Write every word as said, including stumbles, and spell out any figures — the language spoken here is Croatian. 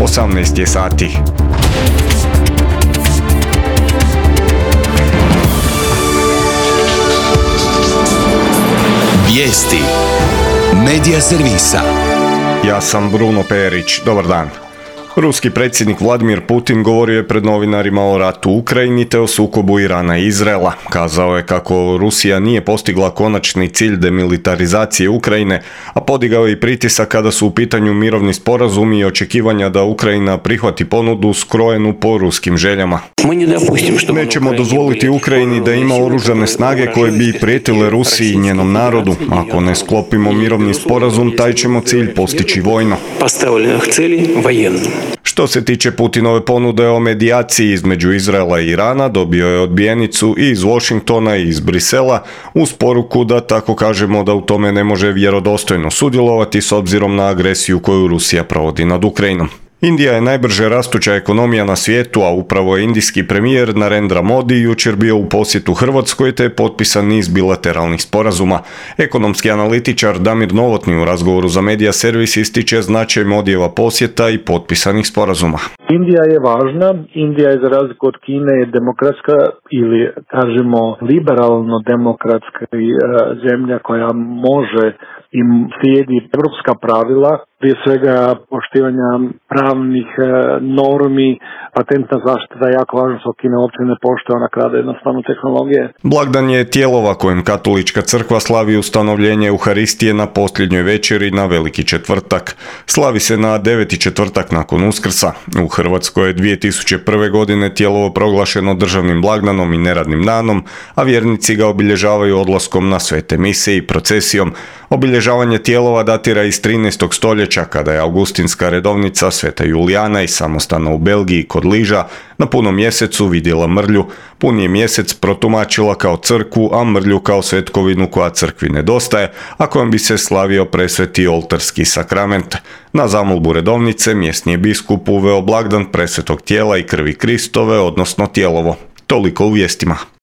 osamnaest je sati. Vijesti Medija servisa. Ja sam Bruno Perić. Dobar dan. Ruski predsjednik Vladimir Putin govorio je pred novinarima o ratu u Ukrajini te o sukobu Irana i Izraela. Kazao je kako Rusija nije postigla konačni cilj demilitarizacije Ukrajine, a podigao je i pritisak kada su u pitanju mirovni sporazumi i očekivanja da Ukrajina prihvati ponudu skrojenu po ruskim željama. Nećemo dozvoliti Ukrajini da ima oružane snage koje bi prijetile Rusiji i njenom narodu. Ako ne sklopimo mirovni sporazum, taj ćemo cilj postići vojno. Što se tiče Putinove ponude o medijaciji između Izraela i Irana, dobio je odbijenicu i iz Washingtona i iz Brisela uz poruku da, tako kažemo, da u tome ne može vjerodostojno sudjelovati s obzirom na agresiju koju Rusija provodi nad Ukrajinom. Indija je najbrže rastuća ekonomija na svijetu, a upravo je indijski premijer Narendra Modi jučer bio u posjetu Hrvatskoj te je potpisan niz bilateralnih sporazuma. Ekonomski analitičar Damir Novotny u razgovoru za Medija servis ističe značaj Modijeva posjeta i potpisanih sporazuma. Indija je važna, Indija je za razliku od Kine demokratska ili kažemo liberalno-demokratska zemlja koja može i slijedi evropska pravila, prije svega poštivanja pravnih normi, patentna zaštita je jako važna, što Kina uopće ne poštuje, ona krade jednostavno tehnologije. Blagdan je Tijelova kojem katolička crkva slavi ustanovljenje Euharistije na posljednjoj večeri na Veliki četvrtak. Slavi se na deveti četvrtak nakon Uskrsa. U Hrvatskoj je dvije tisuće prve. godine Tijelovo proglašeno državnim blagdanom i neradnim danom, a vjernici ga obilježavaju odlaskom na svete mise i procesijom. Obilježavanje Tijelova datira iz trinaestog stoljeća, kada je augustinska redovnica Sveta Julijana iz samostana u Belgiji kod Liža na punom mjesecu vidjela mrlju. Puni je mjesec protumačila kao crkvu, a mrlju kao svetkovinu koja crkvi nedostaje, a kojom bi se slavio presveti oltarski sakrament. Na zamolbu redovnice mjesni je biskup uveo blagdan presvetog tijela i krvi Kristove, odnosno Tijelovo. Toliko u vijestima.